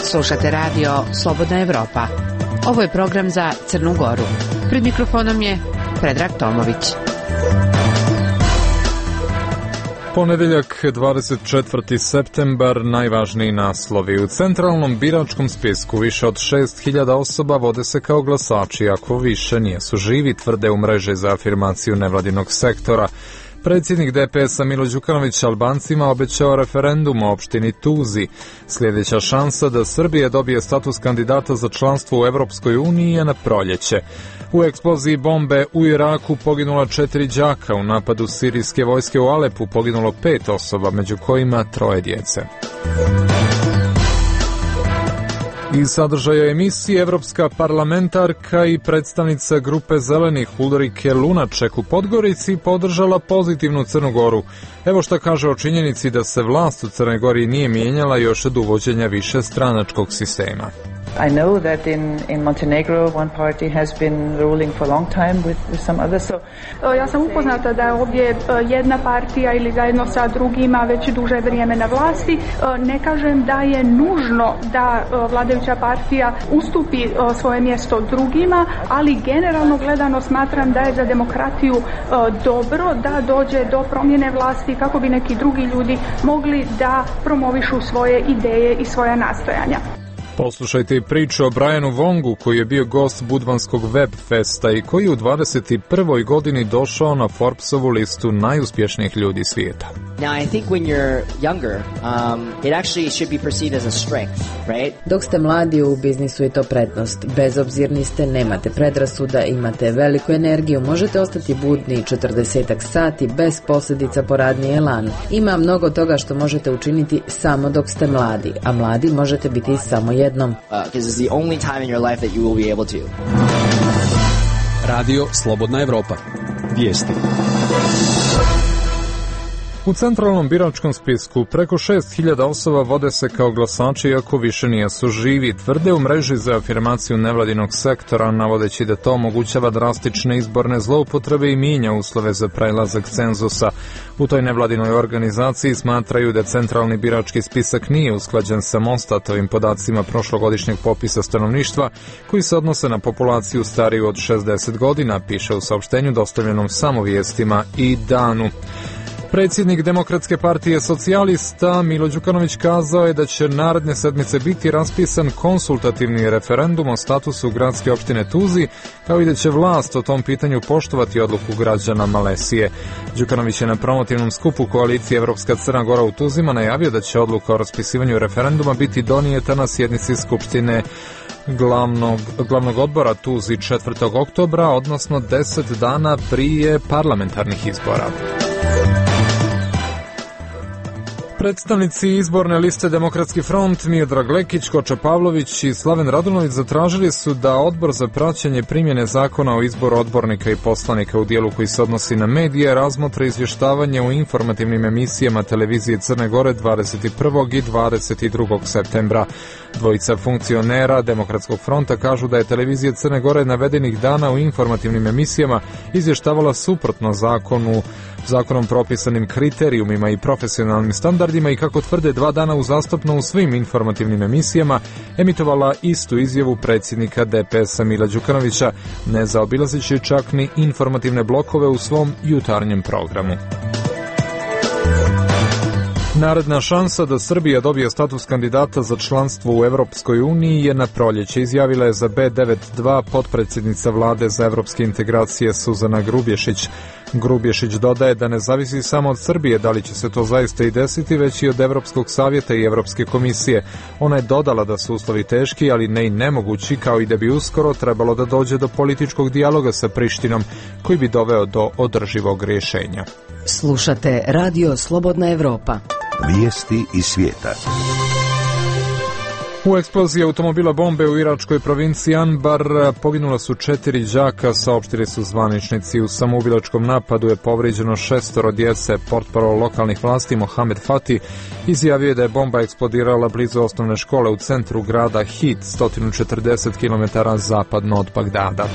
Slušate radio Slobodna Evropa. Ovo je program za Crnu Goru. Pred mikrofonom je Predrag Tomović. Ponedeljak, 24. septembar, najvažniji naslovi. U centralnom biračkom spisku više od 6.000 osoba vode se kao glasači, ako više nijesu živi, tvrde u mreži za afirmaciju nevladinog sektora. Predsjednik DPS-a Milo Đukanović Albancima obećao referendum o opštini Tuzi. Sljedeća šansa da Srbija dobije status kandidata za članstvo u Evropskoj uniji je na proljeće. U eksploziji bombe u Iraku poginula 4 đaka, u napadu sirijske vojske u Alepu poginulo 5 osoba, među kojima 3 djece. Iz sadržaja emisije evropska parlamentarka i predstavnica grupe zelenih Ulrike Lunaček u Podgorici podržala pozitivnu Crnu Goru. Evo šta kaže o činjenici da se vlast u Crnoj Gori nije mijenjala još od uvođenja višestranačkog sistema. I know that in Montenegro one party has been ruling for a long time with some others. Ja sam upoznata da je ovdje jedna partija ili zajedno sa drugima već duže vrijeme na vlasti. Ne kažem da je nužno da vladajuća partija ustupi svoje mjesto drugima, ali generalno gledano smatram da je za demokratiju dobro da dođe do promjene vlasti kako bi neki drugi ljudi mogli da promovišu svoje ideje i svoja nastojanja. Poslušajte i priču o Brianu Wongu, koji je bio gost Budvanskog web festa i koji u 21. godini došao na Forbesovu listu najuspješnijih ljudi svijeta. Now I think when you're younger, it actually should be perceived as a strength, right? Dok ste mladi u biznisu je to prednost. Bezobzirni ste, nemate predrasuda, imate veliku energiju, možete ostati budni 40 sati bez posljedica po radni elan. Ima mnogo toga što možete učiniti samo dok ste mladi, a mladi možete biti samo jednom. Because it's the only time in your life that you will be able to. Radio Slobodna Evropa. Vijesti. U centralnom biračkom spisku preko 6.000 osoba vode se kao glasači iako više nijesu živi, tvrde u mreži za afirmaciju nevladinog sektora, navodeći da to omogućava drastične izborne zloupotrebe i mijenja uslove za prelazak cenzusa. U toj nevladinoj organizaciji smatraju da centralni birački spisak nije usklađen sa Mostatovim podacima prošlogodišnjeg popisa stanovništva, koji se odnose na populaciju stariju od 60 godina, piše u saopštenju dostavljenom samo vijestima i Danu. Predsjednik Demokratske partije socijalista Milo Đukanović kazao je da će naredne sedmice biti raspisan konsultativni referendum o statusu gradske opštine Tuzi, kao i da će vlast o tom pitanju poštovati odluku građana Malesije. Đukanović je na promotivnom skupu koalicije Evropska Crna Gora u Tuzima najavio da će odluka o raspisivanju referenduma biti donijeta na sjednici Skupštine glavnog odbora Tuzi 4. oktobra, odnosno 10 dana prije parlamentarnih izbora. Predstavnici izborne liste Demokratski front Miodrag Lekić, Koča Pavlović i Slaven Radunović zatražili su da Odbor za praćenje primjene zakona o izboru odbornika i poslanika u dijelu koji se odnosi na medije razmotre izvještavanje u informativnim emisijama televizije Crne Gore 21. i 22. septembra. Dvojica funkcionera Demokratskog fronta kažu da je televizija Crne Gore navedenih dana u informativnim emisijama izvještavala suprotno zakonom propisanim kriterijumima i profesionalnim standardima i kako tvrde 2 dana uzastopno u svim informativnim emisijama emitovala istu izjavu predsjednika DPS-a Mila Đukanovića, ne zaobilazeći čak ni informativne blokove u svom jutarnjem programu. Naredna šansa da Srbija dobije status kandidata za članstvo u Evropskoj uniji je na proljeće, izjavila je za B92 potpredsjednica vlade za evropske integracije Suzana Grubješić. Grubješić dodaje da ne zavisi samo od Srbije da li će se to zaista i desiti, već i od Evropskog savjeta i Evropske komisije. Ona je dodala da su uslovi teški, ali ne i nemogući, kao i da bi uskoro trebalo da dođe do političkog dijaloga sa Prištinom, koji bi doveo do održivog rješenja. Slušate Radio Slobodna Evropa. Vijesti iz svijeta. U eksploziji automobila bombe u iračkoj provinciji Anbar poginula su 4 đaka, saopštili su zvaničnici. U samoubilačkom napadu je povrijeđeno 6 djece. Portparol lokalnih vlasti Mohamed Fati izjavio je da je bomba eksplodirala blizu osnovne škole u centru grada Hit, 140 km zapadno od Bagdada.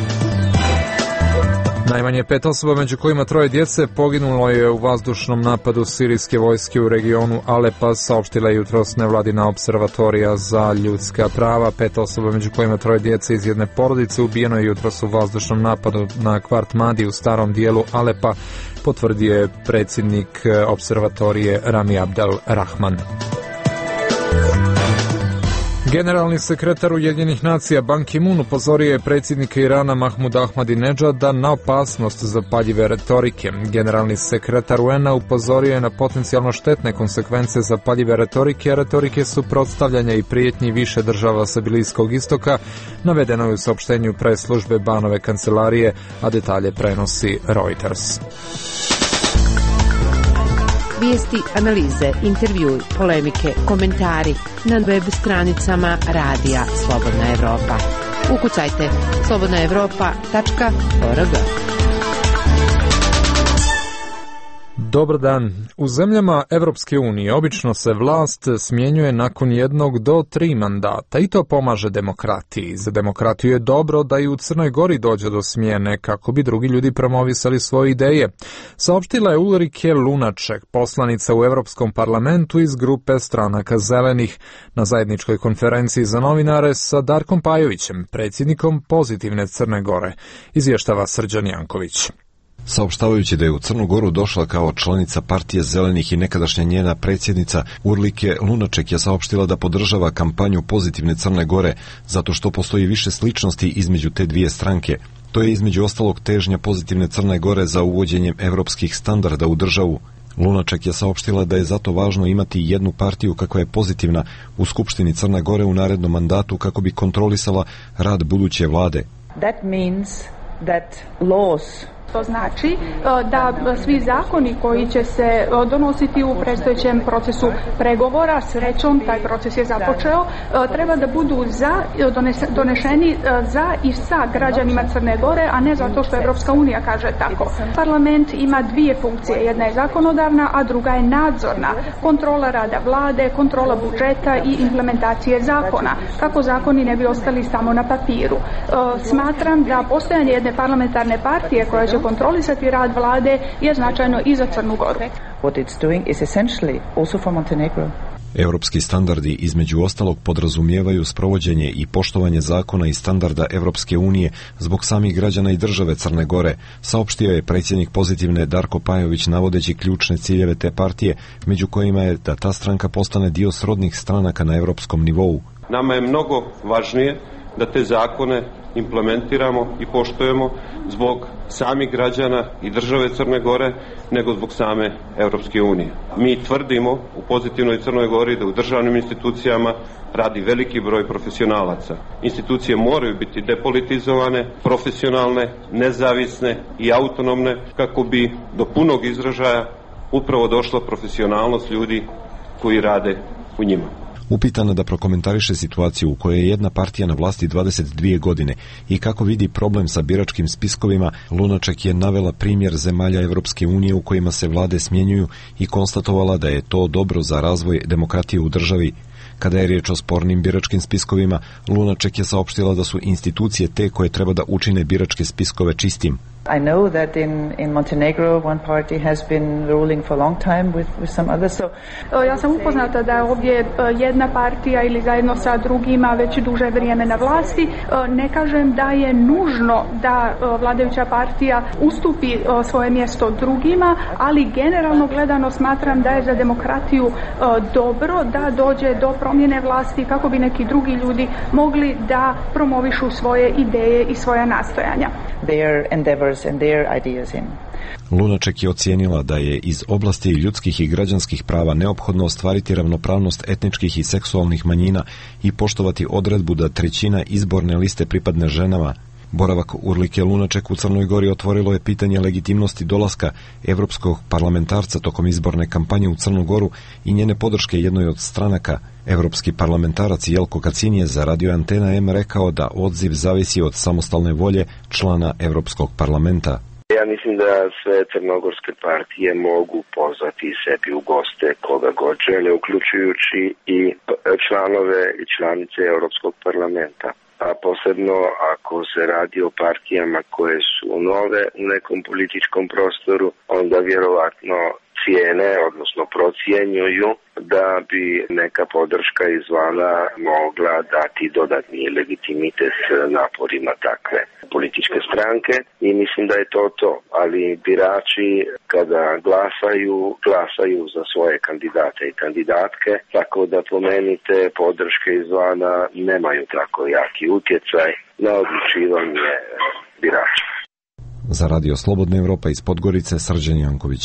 Najmanje 5 osoba, među kojima 3 djece, poginulo je u vazdušnom napadu sirijske vojske u regionu Alepa, saopštila je jutros nevladina observatorija za ljudska prava. 5 osoba, među kojima 3 djece iz jedne porodice, ubijeno je jutros u vazdušnom napadu na kvart Madi u starom dijelu Alepa, potvrdio je predsjednik observatorije Rami Abdel Rahman. Generalni sekretar Ujedinjenih nacija Ban Ki-moon upozorio je predsjednika Irana Mahmuda Ahmadinedžada na opasnost zapaljive retorike. Generalni sekretar UN-a upozorio je na potencijalno štetne konsekvence zapaljive retorike, a retorike suprotstavljanja i prijetnji više država sa Bliskog istoka, navedeno je u saopštenju pres službe Banove kancelarije, a detalje prenosi Reuters. Vijesti, analize, intervjui, polemike, komentari na web stranicama radija Slobodna Evropa. Ukucajte slobodnaevropa.org. Dobar dan. U zemljama Evropske unije obično se vlast smjenjuje nakon 1 do 3 mandata i to pomaže demokratiji. Za demokratiju je dobro da i u Crnoj Gori dođe do smjene kako bi drugi ljudi promovisali svoje ideje. Saopštila je Ulrike Lunaček, poslanica u Evropskom parlamentu iz grupe stranaka Zelenih, na zajedničkoj konferenciji za novinare sa Darkom Pajovićem, predsjednikom Pozitivne Crne Gore, izvještava Srđan Janković. Saopštavajući da je u Crnu Goru došla kao članica partije Zelenih i nekadašnja njena predsjednica, Urlike Lunaček je saopštila da podržava kampanju Pozitivne Crne Gore zato što postoji više sličnosti između te dvije stranke. To je između ostalog težnja Pozitivne Crne Gore za uvođenjem evropskih standarda u državu. Lunaček je saopštila da je zato važno imati jednu partiju kakva je pozitivna u Skupštini Crne Gore u narednom mandatu kako bi kontrolisala rad buduće vlade. That means that laws. To znači da svi zakoni koji će se donositi u predstojećem procesu pregovora, srećom taj proces je započeo, treba da budu donešeni za i sa građanima Crne Gore, a ne zato što Evropska unija kaže tako. Parlament ima dvije funkcije, jedna je zakonodavna, a druga je nadzorna. Kontrola rada vlade, kontrola budžeta i implementacije zakona, kako zakoni ne bi ostali samo na papiru. Smatram da postojanje jedne parlamentarne partije koja će kontrolisati rad vlade je značajno i za Crnu Goru. What it's doing is essentially also for Montenegro. Europski standardi između ostalog podrazumijevaju sprovođenje i poštovanje zakona i standarda Evropske unije zbog samih građana i države Crne Gore, saopštio je predsjednik Pozitivne Darko Pajović navodeći ključne ciljeve te partije, među kojima je da ta stranka postane dio srodnih stranaka na europskom nivou. Nama je mnogo važnije da te zakone implementiramo i poštujemo zbog samih građana i države Crne Gore nego zbog same Evropske unije. Mi tvrdimo u Pozitivnoj Crnoj Gori da u državnim institucijama radi veliki broj profesionalaca. Institucije moraju biti depolitizovane, profesionalne, nezavisne i autonomne kako bi do punog izražaja upravo došla profesionalnost ljudi koji rade u njima. Upitana da prokomentariše situaciju u kojoj je jedna partija na vlasti 22 godine i kako vidi problem sa biračkim spiskovima, Lunaček je navela primjer zemalja Evropske unije u kojima se vlade smjenjuju i konstatovala da je to dobro za razvoj demokratije u državi. Kada je riječ o spornim biračkim spiskovima, Lunaček je saopštila da su institucije te koje treba da učine biračke spiskove čistim. I know that in Montenegro one party has been ruling for a long time with some others. Ja sam upoznata da je ovdje jedna partija ili zajedno sa drugima već duže vrijeme na vlasti. Ne kažem da je nužno da vladajuća partija ustupi svoje mjesto drugima, ali generalno gledano smatram da je za demokratiju dobro da dođe do promjene vlasti kako bi neki drugi ljudi mogli da promovišu svoje ideje i svoja nastojanja. Their endeavors and their ideas in. Lunaček je ocijenila da je iz oblasti ljudskih i građanskih prava neophodno ostvariti ravnopravnost etničkih i seksualnih manjina i poštovati odredbu da 1/3 izborne liste pripadne ženama. Boravak Urlike Lunaček u Crnoj Gori otvorilo je pitanje legitimnosti dolaska evropskog parlamentarca tokom izborne kampanje u Crnu Goru i njene podrške jednoj od stranaka. Evropski parlamentarac Jelko Kacin je za Radio Antena M rekao da odziv zavisi od samostalne volje člana Evropskog parlamenta. Ja mislim da sve crnogorske partije mogu pozvati sebi u goste koga god žele, uključujući i članove i članice Europskog parlamenta. a posebno ako se radi o partijama koje su nove u nekom političkom prostoru, onda vjerovatno cijene, odnosno procjenjuju da bi neka podrška izvana mogla dati dodatni legitimitet naporima takve političke stranke i mislim da je to. Ali birači kada glasaju za svoje kandidate i kandidatke, tako da po meni te podrške izvana nemaju tako jaki utjecaj na odlučivanje birača. Za Radio Slobodna Evropa iz Podgorice, Srđan Janković.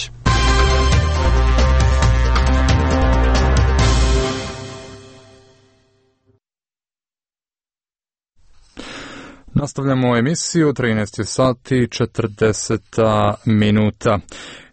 Nastavljamo emisiju, 13 sati 40 minuta.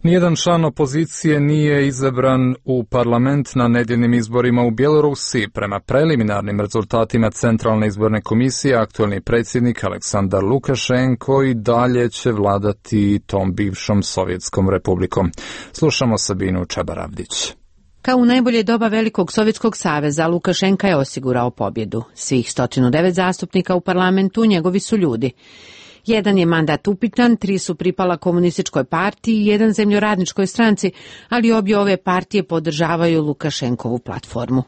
Nijedan član opozicije nije izabran u parlament na nedjeljnim izborima u Bjelorusiji. Prema preliminarnim rezultatima Centralne izborne komisije, aktualni predsjednik Aleksandar Lukašenko i dalje će vladati tom bivšom Sovjetskom republikom. Slušamo Sabinu Čabaravdić. Kao u najbolje doba Velikog Sovjetskog saveza, Lukašenka je osigurao pobjedu. Svih 109 zastupnika u parlamentu njegovi su ljudi. Jedan je mandat upitan, 3 su pripala komunističkoj partiji i 1 zemljoradničkoj stranci, ali obje ove partije podržavaju Lukašenkovu platformu.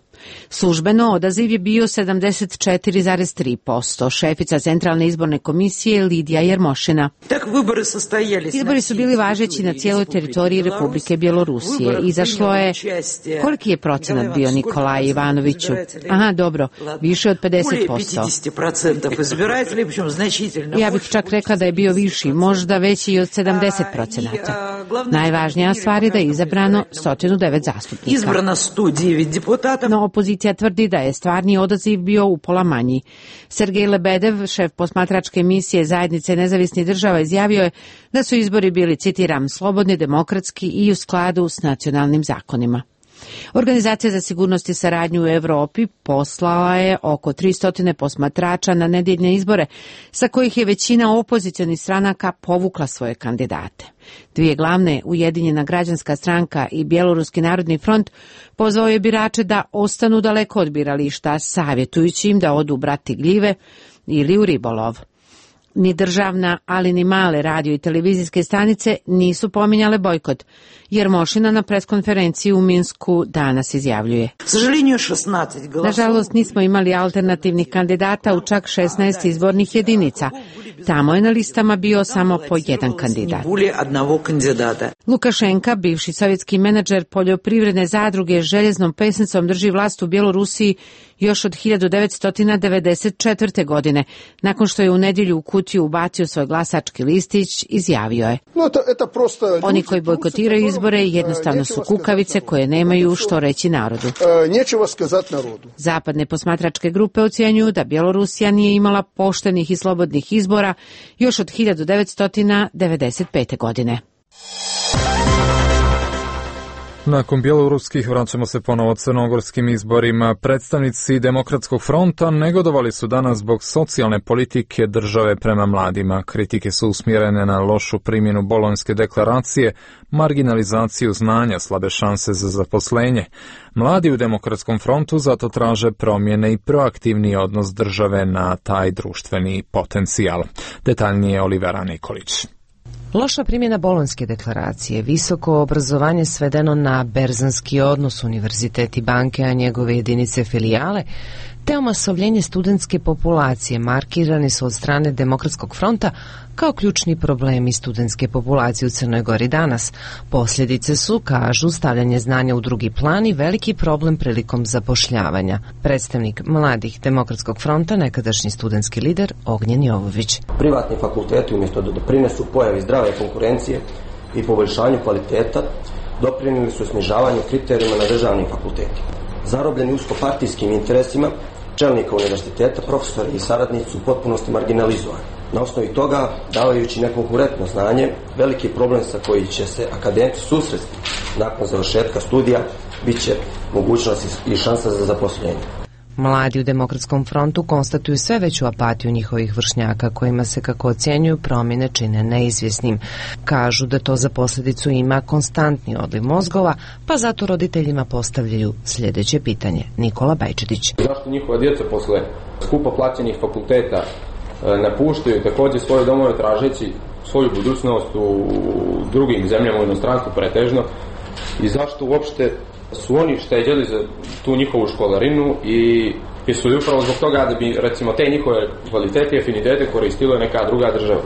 Službeno odaziv je bio 74,3%. Šefica Centralne izborne komisije Lidija Jermošina. Izbori su bili važeći na cijeloj teritoriji Republike Bjelorusije. Izašlo je, koliki je procenat bio, Nikolaj Ivanoviću? Aha, dobro, više od 50%. Ja bih čak rekla da je bio viši, možda veći i od 70%. Najvažnija stvar je da je izabrano 109 zastupnika. No, opozicija tvrdi da je stvarni odaziv bio upola manji. Sergej Lebedev, šef posmatračke misije Zajednice nezavisnih država, izjavio je da su izbori bili, citiram, slobodni, demokratski i u skladu s nacionalnim zakonima. Organizacija za sigurnost i saradnju u Europi poslala je oko 300 posmatrača na nedjeljne izbore, sa kojih je većina opozicionih stranaka povukla svoje kandidate. 2 glavne, Ujedinjena građanska stranka i Bjeloruski narodni front, pozvao je birače da ostanu daleko od birališta, savjetujući im da odu brati gljive ili u ribolov. Ni državna, ali ni male radio i televizijske stanice nisu pominjale bojkot, jer Mošina na preskonferenciji u Minsku danas izjavljuje. Nažalost, nismo imali alternativnih kandidata u čak 16 izbornih jedinica. Tamo je na listama bio samo po 1 kandidat. Lukašenka, bivši sovjetski menadžer poljoprivredne zadruge, željeznom pesnicom drži vlast u Bjelorusiji još od 1994. godine. Nakon što je u nedjelju u kutiju ubacio svoj glasački listić, izjavio je: oni koji bojkotiraju izbore jednostavno su kukavice koje nemaju što reći narodu. Zapadne posmatračke grupe ocjenjuju da Bjelorusija nije imala poštenih i slobodnih izbora još od 1995. godine. Nakon bjeloruskih vraćamo se ponovo crnogorskim izborima. Predstavnici Demokratskog fronta negodovali su danas zbog socijalne politike države prema mladima. Kritike su usmjerene na lošu primjenu Bolonjske deklaracije, marginalizaciju znanja, slabe šanse za zaposlenje. Mladi u Demokratskom frontu zato traže promjene i proaktivni odnos države na taj društveni potencijal. Detaljnije Olivera Nikolić. Loša primjena Bolonjske deklaracije, visoko obrazovanje svedeno na berzanski odnos, univerzitet i banke, a njegove jedinice filijale, te omasovljenje studentske populacije markirani su od strane Demokratskog fronta kao ključni problemi studentske populacije u Crnoj Gori danas. Posljedice su, kažu, stavljanje znanja u drugi plan i veliki problem prilikom zapošljavanja. Predstavnik mladih Demokratskog fronta, nekadašnji studentski lider Ognjen Jovović. Privatni fakulteti umjesto da doprinesu pojavi zdrave konkurencije i poboljšanju kvaliteta, doprinijeli su snižavanju kriterijuma na državnim fakultetima. Zarobljeni uskopartijskim interesima, čelnika univerziteta, profesori i saradnici su u potpunosti marginalizovani. Na osnovi toga, davajući nekonkurentno znanje, veliki problem sa koji će se akademci susresti nakon završetka studija bit će mogućnost i šansa za zaposlenje. Mladi u Demokratskom frontu konstatuju sve veću apatiju njihovih vršnjaka, kojima se, kako ocjenjuju, promjene čine neizvjesnim. Kažu da to za posljedicu ima konstantni odliv mozgova, pa zato roditeljima postavljaju sljedeće pitanje. Nikola Bajčetić. Zašto njihova djeca posle skupo plaćenih fakulteta napuštaju također svoje domove tražeći svoju budućnost u drugim zemljama, u inostranstvu pretežno, i zašto uopšte su oni šteđeli za tu njihovu školarinu i su upravo zbog toga da bi, recimo, te njihove kvalitete i afinitete koristila neka druga država.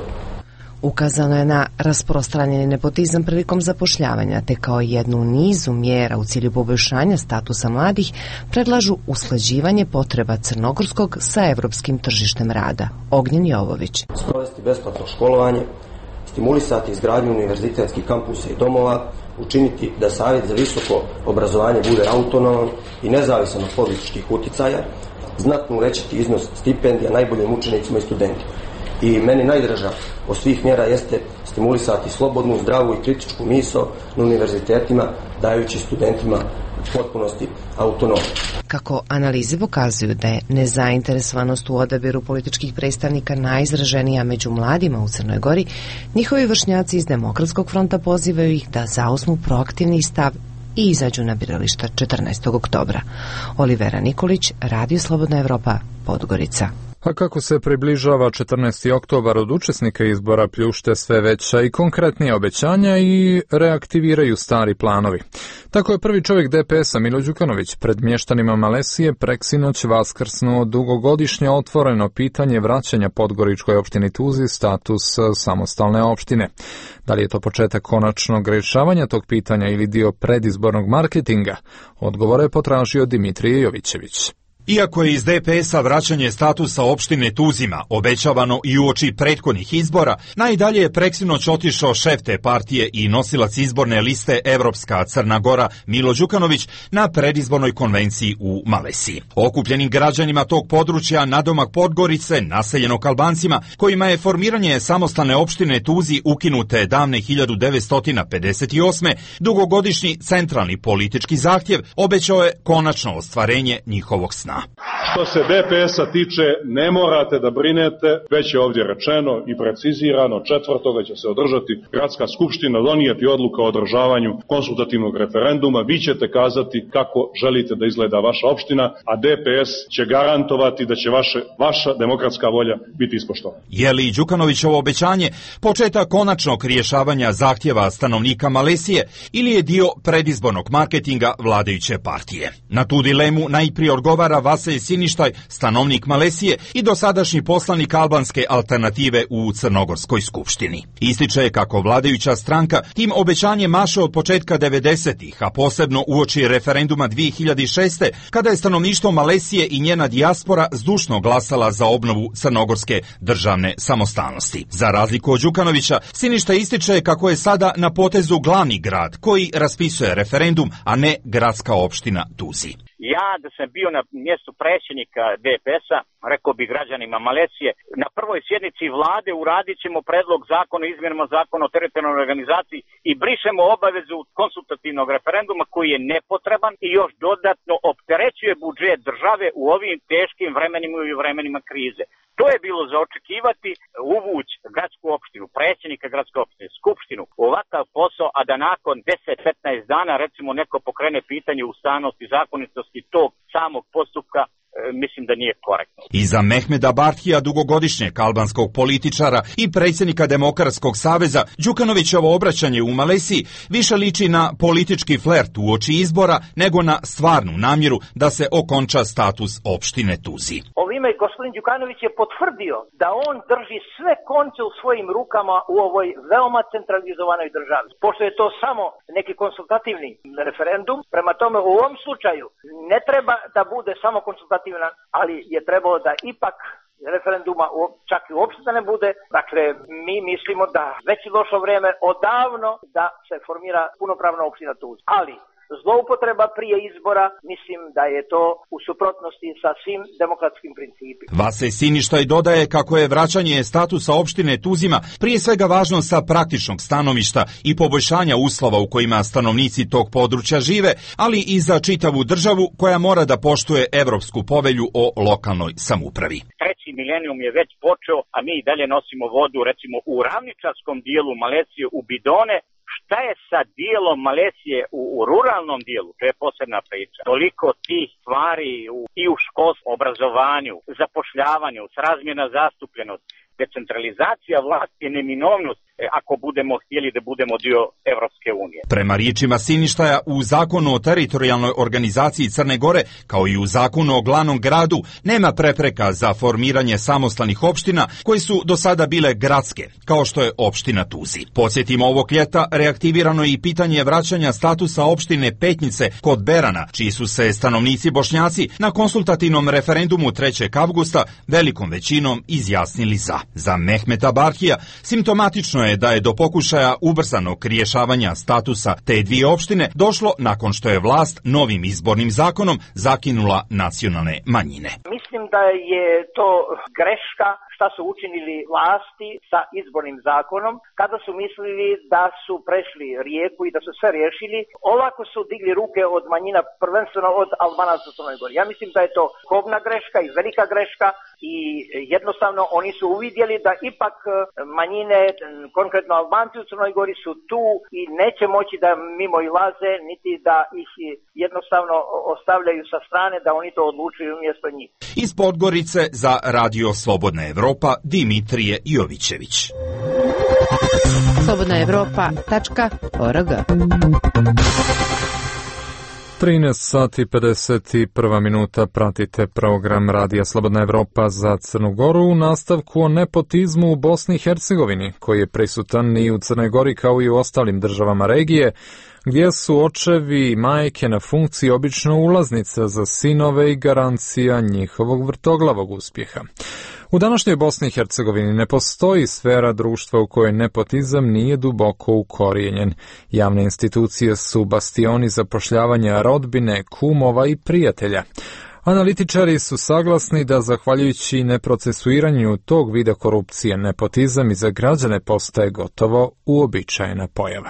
Ukazano je na rasprostranjeni nepotizam prilikom zapošljavanja, te kao jednu u nizu mjera u cilju poboljšanja statusa mladih predlažu usklađivanje potreba crnogorskog sa evropskim tržištem rada. Ognjen Jovović. Sprovesti besplatno školovanje, stimulisati izgradnju univerzitetskih kampusa i domova, učiniti da Savjet za visoko obrazovanje bude autonoman i nezavisan od političkih uticaja, znatno uvećati iznos stipendija najboljim učenicima i studentima. I meni najdraža od svih mjera jeste stimulisati slobodnu, zdravu i kritičku misao na univerzitetima, dajući studentima u potpunosti autonomiju. Kako analize pokazuju da je nezainteresovanost u odabiru političkih predstavnika najizraženija među mladima u Crnoj Gori, njihovi vršnjaci iz Demokratskog fronta pozivaju ih da zauzmu proaktivni stav i izađu na birališta 14. oktobra. Olivera Nikolić, Radio Slobodna Evropa, Podgorica. A kako se približava 14. oktobar, od učesnika izbora pljušte sve veća i konkretnija obećanja i reaktiviraju stari planovi. Tako je prvi čovjek DPS-a Milo Đukanović pred mještanima Malesije preksinoć vaskrsnuo dugogodišnje otvoreno pitanje vraćanja Podgoričkoj opštini Tuzi status samostalne opštine. Da li je to početak konačnog rješavanja tog pitanja ili dio predizbornog marketinga? Odgovore je potražio Dimitrije Jovićević. Iako je iz DPS-a vraćanje statusa opštine Tuzima obećavano i uoči prethodnih izbora, najdalje je preksinoć otišao šef te partije i nosilac izborne liste Evropska Crna Gora Milo Đukanović na predizbornoj konvenciji u Malesiji. Okupljenim građanima tog područja nadomak Podgorice, naseljenog Albancima, kojima je formiranje samostalne opštine Tuzi ukinute davne 1958. dugogodišnji centralni politički zahtjev obećao je konačno ostvarenje njihovog sna. Što se DPS-a tiče, ne morate da brinete, već je ovdje rečeno i precizirano, 4. će se održati gradska skupština, donijeti odluka o održavanju konsultativnog referenduma, vi ćete kazati kako želite da izgleda vaša opština, a DPS će garantovati da će vaša demokratska volja biti ispoštovana. Je li Đukanovićevo obećanje početak konačnog rješavanja zahtjeva stanovnika Malesije ili je dio predizbornog marketinga vladajuće partije? Na tu dilemu najprije odgovara Vaselj Siništaj, stanovnik Malesije i dosadašnji poslanik albanske alternative u Crnogorskoj skupštini. Ističe kako vladajuća stranka tim obećanjem maše od početka 90-ih, a posebno uoči referenduma 2006. kada je stanovništvo Malesije i njena dijaspora zdušno glasala za obnovu crnogorske državne samostalnosti. Za razliku od Đukanovića, Siništaj ističe kako je sada na potezu glavni grad koji raspisuje referendum, a ne gradska opština Tuzi. Ja da sam bio na mjestu predsjednika DPS-a, rekao bi građanima Malesije, na prvoj sjednici vlade uradit ćemo predlog zakona o izmjenama zakona o teritorijalnoj organizaciji i brišemo obavezu konsultativnog referenduma koji je nepotreban i još dodatno opterećuje budžet države u ovim teškim vremenima i u vremenima krize. To je bilo za očekivati, uvući gradsku opštinu, predsjednika gradske opštine, skupštinu, ovakav posao, a da nakon 10-15 dana recimo neko pokrene pitanje ustavnosti i zakonitosti tog samog postupka, mislim da nije korektno. Iza Mehmeda Barthija, dugogodišnjeg albanskog političara i predsjednika Demokratskog saveza, Đukanovićevo obraćanje u Malesiji više liči na politički flert uoči izbora nego na stvarnu namjeru da se okonča status opštine Tuzi. Ovime gospodin Đukanović je potvrdio da on drži sve konce u svojim rukama u ovoj veoma centralizovanoj državi. Pošto je to samo neki konsultativni referendum, prema tome u ovom slučaju ne treba da bude samo konsultativna, ali je trebalo da ipak referenduma čak i uopšte da ne bude. Dakle, mi mislimo da već je došlo vrijeme odavno da se formira punopravna opština Tuzi. Ali zloupotreba prije izbora, mislim da je to u suprotnosti sa svim demokratskim principima. Vase Siništaj dodaje kako je vraćanje statusa opštine Tuzima prije svega važno sa praktičnog stanovišta i poboljšanja uslova u kojima stanovnici tog područja žive, ali i za čitavu državu koja mora da poštuje Evropsku povelju o lokalnoj samoupravi. Treći milenijum je već počeo, a mi i dalje nosimo vodu recimo u ravničarskom dijelu Malezije u bidone. Šta je sa dijelom Malezije u ruralnom dijelu? To je posebna priča. Toliko tih stvari i u školstvu, obrazovanju, zapošljavanju, srazmjerna zastupljenost, decentralizacija vlasti je neminovnost ako budemo htjeli da budemo dio Evropske unije. Prema riječima Siništaja, u zakonu o teritorijalnoj organizaciji Crne Gore, kao i u zakonu o glavnom gradu, nema prepreka za formiranje samostalnih opština koje su do sada bile gradske, kao što je opština Tuzi. Podsjetimo, ovog ljeta reaktivirano je i pitanje vraćanja statusa opštine Petnice kod Berana, čiji su se stanovnici Bošnjaci na konsultativnom referendumu 3. avgusta velikom većinom izjasnili za. Za Mehmeta Barhija simptomatično je da je do pokušaja ubrzanog rješavanja statusa te dvije opštine došlo nakon što je vlast novim izbornim zakonom zakinula nacionalne manjine. Mislim da je to greška šta su učinili vlasti sa izbornim zakonom kada su mislili da su prešli rijeku i da su sve riješili. Ovako su digli ruke od manjina, prvenstveno od Albanaca u Crnoj Gori. Ja mislim da je to kobna greška i velika greška i jednostavno oni su uvidjeli da ipak manjine, konkretno Albanci u Crnoj Gori, su tu i neće moći da mimo ilaze, niti da ih jednostavno ostavljaju sa strane, da oni to odlučuju umjesto njih. Iz Podgorice za Radio Slobodna Evropa, Dimitrije Jovićević. slobodnaevropa.org 13 sati 51 minuta, pratite program Radija Slobodna Evropa za Crnu Goru u nastavku o nepotizmu u Bosni i Hercegovini, koji je prisutan i u Crnoj Gori kao i u ostalim državama regije, gdje su očevi i majke na funkciji obično ulaznica za sinove i garancija njihovog vrtoglavog uspjeha. U današnjoj Bosni i Hercegovini ne postoji sfera društva u kojoj nepotizam nije duboko ukorijenjen. Javne institucije su bastioni zapošljavanja rodbine, kumova i prijatelja. Analitičari su saglasni da zahvaljujući neprocesuiranju tog vida korupcije, nepotizam i za građane postaje gotovo uobičajena pojava.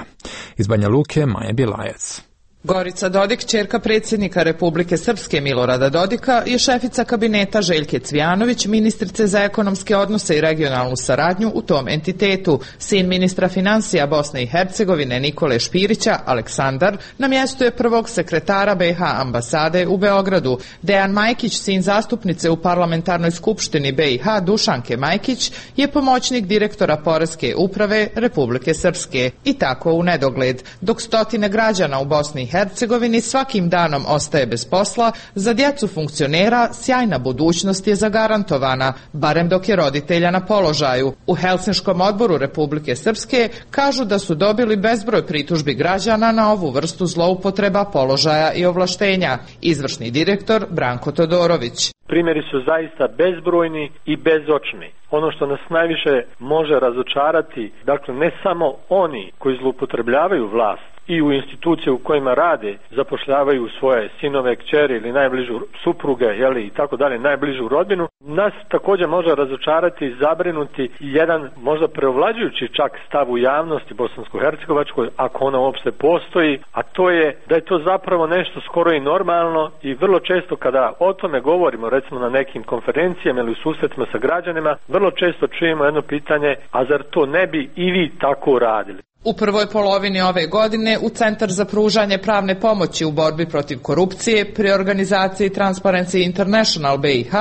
Iz Banja Luke, Maja Bilajac. Gorica Dodik, ćerka predsjednika Republike Srpske Milorada Dodika, je šefica kabineta Željke Cvijanović, ministrice za ekonomske odnose i regionalnu saradnju u tom entitetu. Sin ministra financija Bosne i Hercegovine Nikole Špirića, Aleksandar, na mjestu je prvog sekretara BiH ambasade u Beogradu. Dejan Majkić, sin zastupnice u parlamentarnoj skupštini BiH Dušanke Majkić, je pomoćnik direktora Poreske uprave Republike Srpske. I tako u nedogled, dok stotine građana u Bosni i Hercegovini svakim danom ostaje bez posla, za djecu funkcionera sjajna budućnost je zagarantovana, barem dok je roditelja na položaju. U Helsinškom odboru Republike Srpske kažu da su dobili bezbroj pritužbi građana na ovu vrstu zloupotreba položaja i ovlaštenja. Izvršni direktor Branko Todorović. Primjeri su zaista bezbrojni i bezočni. Ono što nas najviše može razočarati, dakle ne samo oni koji zloupotrebljavaju vlast i u institucije u kojima rade, zapošljavaju svoje sinove, kćeri ili najbližu supruge, jeli, i tako dalje, najbližu rodbinu, nas također može razočarati i zabrinuti jedan možda preovlađujući čak stav u javnosti bosansko-hercegovačkoj, ako ona uopšte postoji, a to je da je to zapravo nešto skoro i normalno i vrlo često kada o tome govorimo, recimo na nekim konferencijama ili u susretima sa građanima, vrlo često čujemo jedno pitanje, a zar to ne bi i vi tako radili? U prvoj polovini ove godine u Centar za pružanje pravne pomoći u borbi protiv korupcije pri organizaciji Transparency International BiH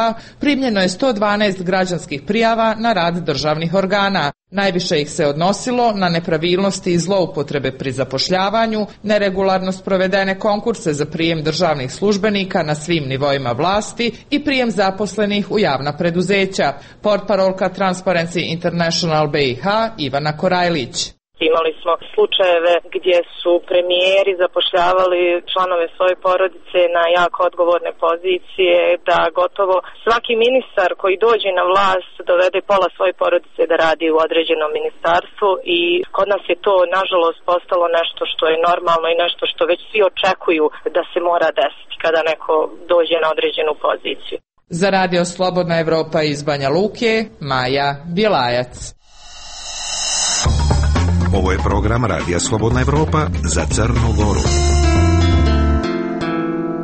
primljeno je 112 građanskih prijava na rad državnih organa. Najviše ih se odnosilo na nepravilnosti i zloupotrebe pri zapošljavanju, neregularnost provedene konkurse za prijem državnih službenika na svim nivoima vlasti i prijem zaposlenih u javna preduzeća. Portparolka Transparency International BiH Ivana Korajlić. Imali smo slučajeve gdje su premijeri zapošljavali članove svoje porodice na jako odgovorne pozicije, da gotovo svaki ministar koji dođe na vlast dovede pola svoje porodice da radi u određenom ministarstvu i kod nas je to nažalost postalo nešto što je normalno i nešto što već svi očekuju da se mora desiti kada neko dođe na određenu poziciju. Za Radio Slobodna Evropa iz Banja Luke, Maja Bjelajac. Ovo je program Radija Slobodna Evropa za Crnu Goru.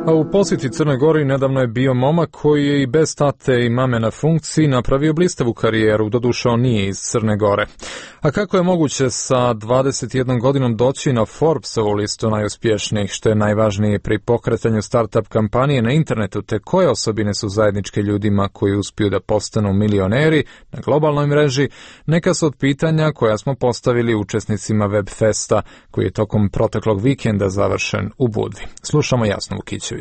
A u posjeti Crnoj Gori nedavno je bio momak koji je i bez tate i mame na funkciji napravio blistavu karijeru, doduše on nije iz Crne Gore. A kako je moguće sa 21 godinom doći na Forbesovu listu najuspješnijih, što je najvažnije pri pokretanju startup kampanije na internetu, te koje osobine su zajedničke ljudima koji uspiju da postanu milioneri na globalnoj mreži, neka su od pitanja koja smo postavili učesnicima Webfesta, koji je tokom proteklog vikenda završen u Budvi. Slušamo Jasnu Vukićević.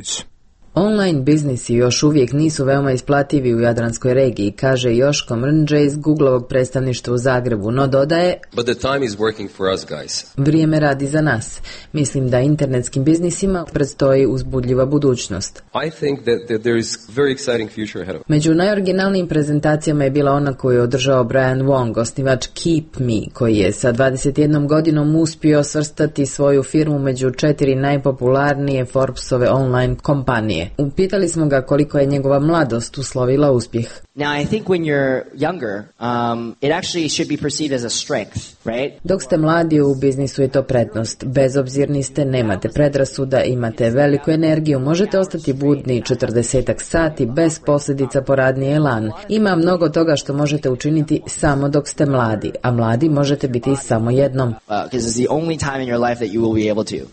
Online biznisi još uvijek nisu veoma isplativi u Jadranskoj regiji, kaže Joško Mrnđe iz Googlovog predstavništva u Zagrebu, no dodaje: But the time is working for us, guys. Vrijeme radi za nas. Mislim da internetskim biznisima predstoji uzbudljiva budućnost. I think that there is very exciting future ahead of us. Među najoriginalnijim prezentacijama je bila ona koju je održao Brian Wong, osnivač Keep Me, koji je sa 21 godinom uspio svrstati svoju firmu među 4 najpopularnije Forbesove online kompanije. Upitali smo ga koliko je njegova mladost uslovila uspjeh. Now, I think when you're younger, it actually should be perceived as a strength, right? Dok ste mladi u biznisu je to prednost. Bezobzirni ste, nemate predrasuda, imate veliku energiju, možete ostati budni 40 sati bez posljedica po radni elan. Ima mnogo toga što možete učiniti samo dok ste mladi, a mladi možete biti samo jednom.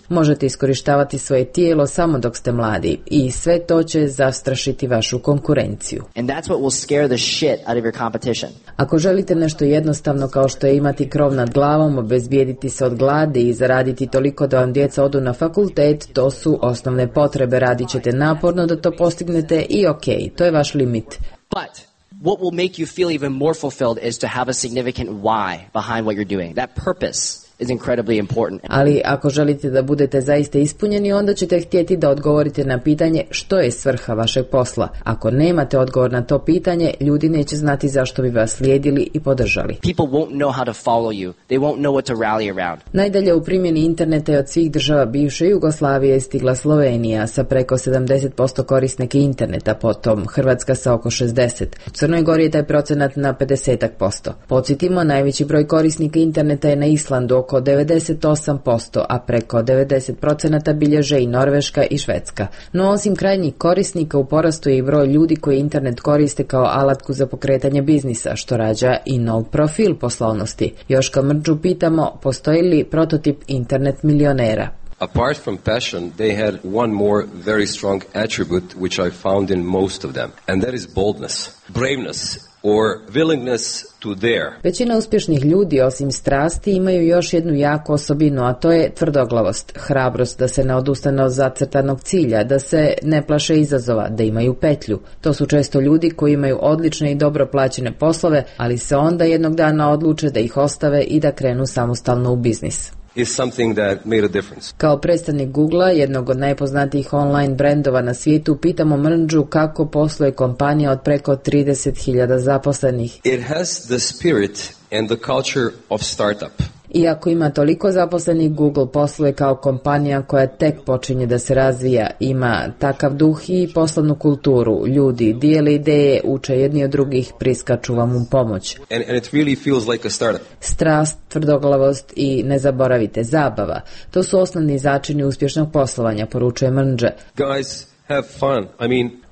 Možete iskorištavati svoje tijelo samo dok ste mladi i sve to će zastrašiti vašu konkurenciju. And that's what will scare the shit out of your competition. Ako želite nešto jednostavno kao što je imati krov nad glavom, obezbijediti se od gladi i zaraditi toliko da vam djeca odu na fakultet, to su osnovne potrebe, radit ćete naporno da to postignete i okej, to je vaš limit. But what will make you feel even more fulfilled is to have a significant why behind what you're doing. That purpose is incredibly important. Ali ako želite da budete zaista ispunjeni, onda ćete htjeti da odgovorite na pitanje što je svrha vašeg posla. Ako nemate odgovor na to pitanje, ljudi neće znati zašto bi vas slijedili i podržali. People won't know how to follow you. They won't know what to rally around. Najdalje u primjeni interneta je od svih država bivše Jugoslavije stigla Slovenija sa preko 70% korisnika interneta, potom Hrvatska sa oko 60%. U Crnoj Gori je taj procenat na 50%. Podsjetimo, najveći broj korisnika interneta je na Islandu, oko 98%, a preko 90% bilježe i Norveška i Švedska. No osim krajnjih korisnika u porastu je i broj ljudi koji internet koriste kao alatku za pokretanje biznisa, što rađa i nov profil poslovnosti. Joška Mrđu pitamo, postoji li prototip internet milionera? Apart from passion, they had one more very strong attribute which I found in most of them, and that is boldness, braveness, or willingness to dare. Većina uspješnih ljudi, osim strasti, imaju još jednu jaku osobinu, a to je tvrdoglavost, hrabrost da se ne odustane od zacrtanog cilja, da se ne plaše izazova, da imaju petlju. To su često ljudi koji imaju odlične i dobro plaćene poslove, ali se onda jednog dana odluče da ih ostave i da krenu samostalno u biznis. Is something that made a difference. Kao predstavnik Googlea, jednog od najpoznatijih online brendova na svijetu, pitamo Mrnđu kako posluje kompanija od preko 30.000 zaposlenih. It has the spirit and the culture of startup. Iako ima toliko zaposlenih, Google posluje kao kompanija koja tek počinje da se razvija, ima takav duh i poslovnu kulturu. Ljudi dijele ideje, uče jedni od drugih, priskaču vam u pomoć. And it really feels like a startup. Strast, tvrdoglavost i ne zaboravite, zabava. To su osnovni začini uspješnog poslovanja, poručuje Mrnđe. Guys, have fun.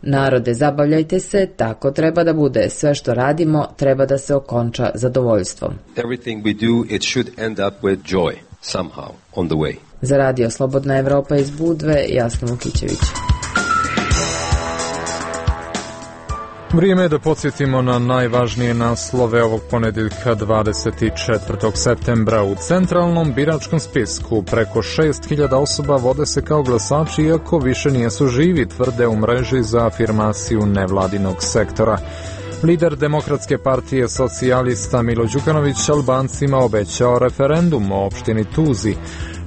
Narode, zabavljajte se, tako treba da bude. Sve što radimo treba da se okonča zadovoljstvom. Everything we do, it should end up with joy, somehow, on the way. Za Radio Slobodna Evropa iz Budve, Jasna Vukićević. Vrijeme je da podsjetimo na najvažnije naslove ovog ponedjeljka 24. septembra. U centralnom biračkom spisku preko 6.000 osoba vode se kao glasači, iako više nijesu živi, tvrde u mreži za afirmaciju nevladinog sektora. Lider Demokratske partije socijalista Milo Đukanović Albancima obećao referendum o opštini Tuzi.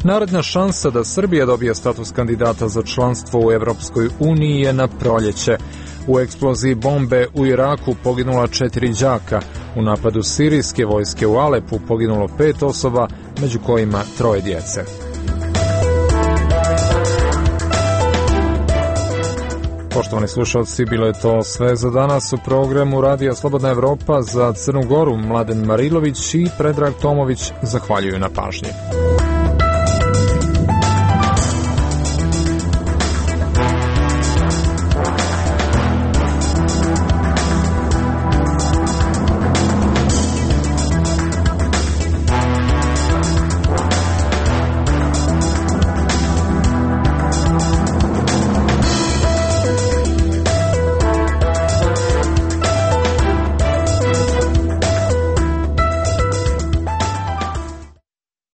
Naredna šansa da Srbija dobije status kandidata za članstvo u Evropskoj uniji je na proljeće. U eksploziji bombe u Iraku poginula 4 đaka. U napadu sirijske vojske u Alepu poginulo 5 osoba, među kojima 3 djece. Poštovani slušalci, bilo je to sve za danas u programu Radija Slobodna Evropa. Za Crnu Goru Mladen Marilović i Predrag Tomović zahvaljuju na pažnji.